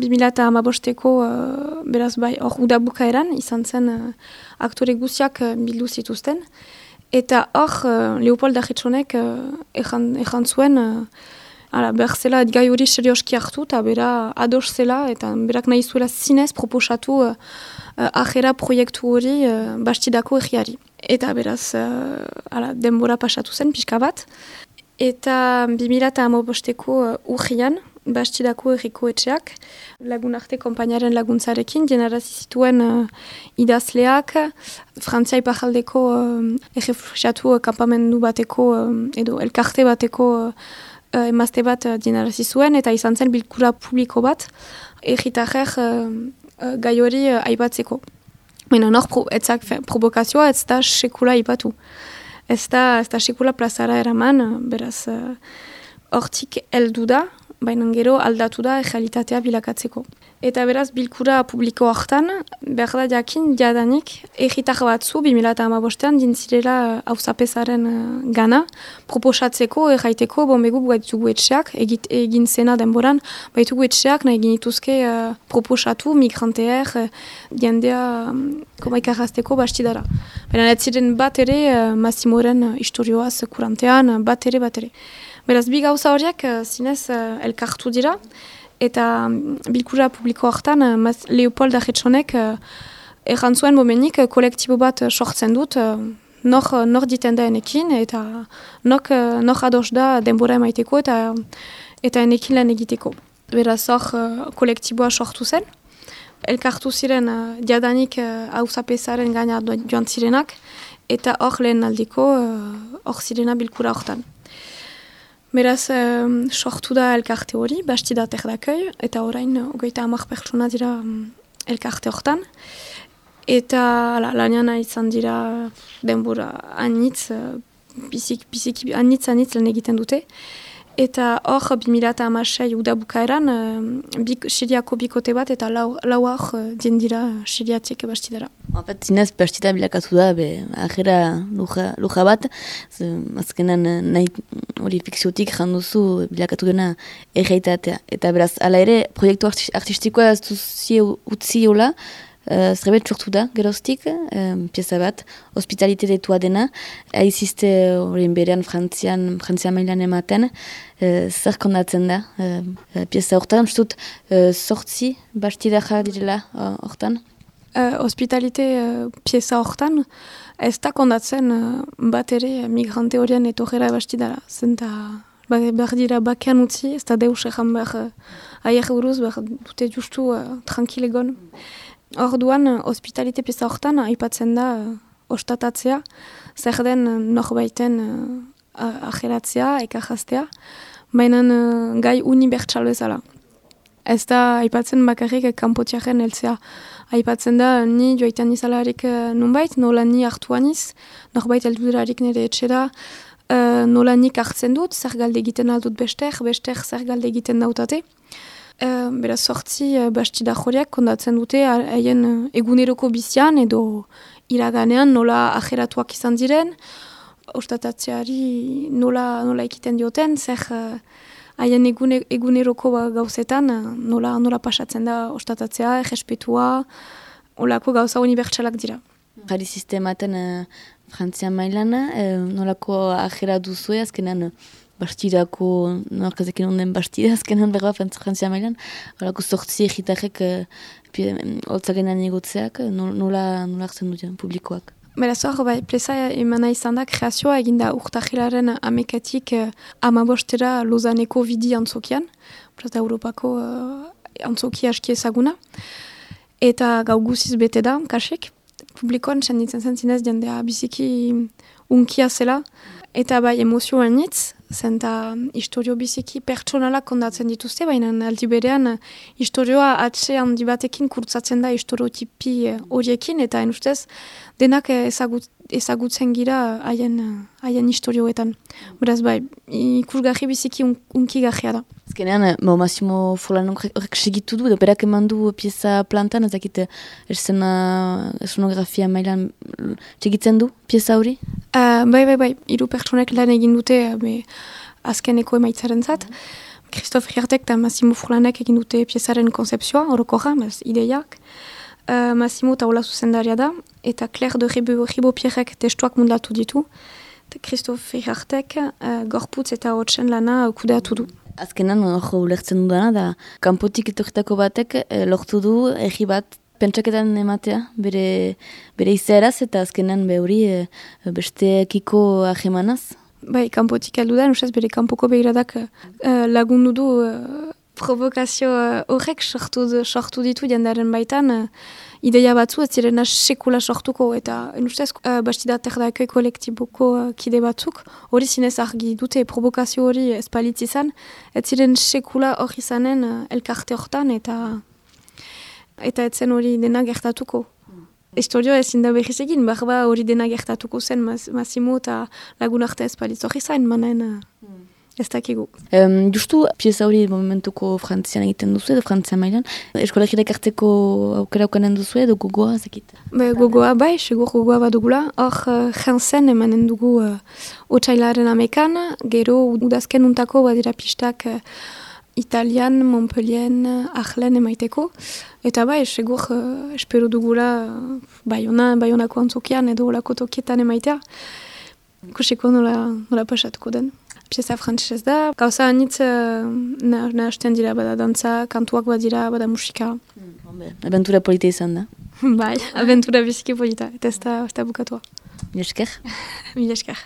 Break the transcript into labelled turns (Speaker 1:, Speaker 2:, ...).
Speaker 1: 2015ko, beraz bai, hor udabukaeran, izan zen aktore guziak bildu zituzten. Eta hor, Leopold Arretxonek ejan zuen, behar zela gai hori serioski hartu, eta bera ados zela, eta berak nahi zuela zinez proposatu ajera proiektu hori Bastidako egiari. Eta beraz, denbora pasatu zen, pixka bat. Eta 2015ko urrian, Bastidako erriko etxeak, lagun arte konpainaren laguntzarekin, jenarazi zituen idazleak, Frantzia ipajaldeko errefuxiatu kampamendu bateko, edo elkarte bateko emazte bat jenarazi zuen, eta izan zen bilkura publiko bat, erritarrek gai hori aipatzeko. Baina nor provokazioa ez da sekula aipatu. Ez da sekula plazara eraman, beraz hortik heldu da, baina gero aldatu da errealitatea bilakatzeko. Eta beraz, bilkura publiko hartan, behar da jakin, jadanik, erritar batzu, 2015an, dintzirela auzapezaren gana, proposatzeko, erraiteko, begu baitugu etxeak, egin zena denboran, baitugu etxeak, nahi genituzke proposatu, migranteer, jendea, ikarrazteko Bastidara. Baina ez ziren bat ere, Massimoren historioaz kurantean, bat ere. Beraz, bi gauza horiek zinez elkartu dira, eta bilkura publiko hartan Leopold Arretxonek erran zuen momenik kolektibo bat sortzen dut, nor diten da enekin, eta nor ados da denbora emaiteko eta enekin lan egiteko. Beraz, hor kolektiboa sortu zen. Elkartu ziren jadanik auzapezaren gaina joan zirenak, eta hor lehen aldiko hor zirena bilkura hortan. Beraz, sortu da elkarte hori, Bastida Terdakoi, eta orain 30 pertsona dira elkarte hortan. Eta lanean izan dira denbora anitz, biziki anitz lan egiten dute. Eta hor 2016 udabukaeran, Siriako bikote bat eta lau hor dira Siriatik Bastidara.
Speaker 2: Zinez, Bastida bilakatu da, ajera luja bat, azkenan nahi hori fikziotik janduzu bilakatu dena erreitatea. Eta beraz, ala ere, proiektu artistikoa ez duzi utzi hola, zerbait sortu da, geroztik, pieza bat, hospitaliteretua dena, aizizte horien berean Frantzia mailan ematen, zer kondatzen da, pieza hortan, dut, sortzi Bastidaja direla hortan?
Speaker 1: Hospitalite pieza hortan, ez da kondatzen bat ere migrante horien etorrera Bastidara. Zenta behar dira bakean utzi, ez da deus egan behar aier buruz, behar dute justu tranquilegon. Orduan, hospitalite pieza hortan aipatzen da ostatatzea, zer den norbaiten ajeratzea, ekarraztea, baina gai unibertsal bezala. Ez da aipatzen bakarrik kanpotiaren heltzea. Aipatzen da ni joaitan izalarik nunbait, nola ni hartuaniz, norbait helduderarik nire etxera, nola nik hartzen dut, zer galde egiten aldut bester zer galde egiten dautate. Beraz, sortzi Bastida horiek kondatzen dute haien eguneroko bizian edo iraganean nola ajeratuak izan diren, ostatatzeari nola ekiten dioten, zer haien eguneroko gauzetan nola pasatzen da ostatatzea, errespetua, olako gauza unibertsalak dira.
Speaker 2: Jari sistematen Frantzia mailan, nolako ajera duzue, azkenan Bastidako, norkazekin onden Bastida, azkenan berba Frantzia mailan, olako sortzi egitarrek holtzagenan egotzeak, nola hartzen duten publikoak?
Speaker 1: Beraz hor, pleza emana izan da, kreazioa eginda urtahilaren amekatik 15 Lozaneko bidi antzokian, da Europako antzoki aski ezaguna, eta gau guziz bete da, kasik, publikoan senditzen zen zinez jendea biziki unkia zela, eta bai emozioan nitz, zenta historio biziki pertsonalak kondatzen dituzte, baina aldi berean historioa atxe handi batekin kurtzatzen da historiotipi horiekin, eta ustez denak ezagutzen gira haien historioetan. Beraz bai, ikusgarri biziki unkigarria da.
Speaker 2: Azkenean, Massimo Forlano horrek segitu du, berak eman du pieza plantan, ezakit esonografia mailan segitzen du pieza hori?
Speaker 1: Bai, 3 pertsonek lan egin dute azkeneko emaitzaren zat. Christophe Riartek eta Massimo Furlanek egin dute piezaren konzepzioa, orokorra, ideiak. Massimo taula zuzendaria da, eta Claire de Ribopierrek testuak mundatu ditu. Christophe Riartek gorputz eta hotsen lana kudeatu du.
Speaker 2: Azkenan, hor ulertzen dudana, da kanpotik etorritako batek lortu du egi bat pentsaketan ematea, bere izaeraz, eta azkenan hori besteekiko ahemanaz.
Speaker 1: Bai, kanpotik heldu da, nusaz bere kanpoko behiradak lagundu du provokazio horrek sortu ditu jendaren baitan, ideia batzu ez zirena sekula sortuko, eta nustez bastidater kolektiboko kide batzuk, hori zinez argi dute provokazio hori espalitz izan, ez ziren sekula hori izanen elkarte hortan, eta ez zen hori dena gertatuko. Historio ezin da behiz egin, barba hori dena gertatuko zen Massimo eta lagun arte espalitz hori zain, manen ez dakigu.
Speaker 2: Justu, pieza hori momentuko Frantzian egiten duzu edo Frantzian mailan. Eskolegirek hartzeko aukera ukanen duzu edo gogoa zekit?
Speaker 1: Gogoa bai, segur gogoa badugula. Hor jantzen emanen dugu otsailaren amekan, gero udazken untako badira pistak Italian, Montpellien, Arlen emaiteko. Eta bai, segur espero dugula Baionako antzokian edo olako tokietan emaitea. Ikusiko nola pasatuko den. Pieza frantzesez da. Gauza anitz nahasten dira bada dantza, kantuak badira, bada musika.
Speaker 2: Aventura polita izan da.
Speaker 1: Bai, aventura biziki polita. Eta ez da bukatua.
Speaker 2: Mil esker.
Speaker 1: Mil esker.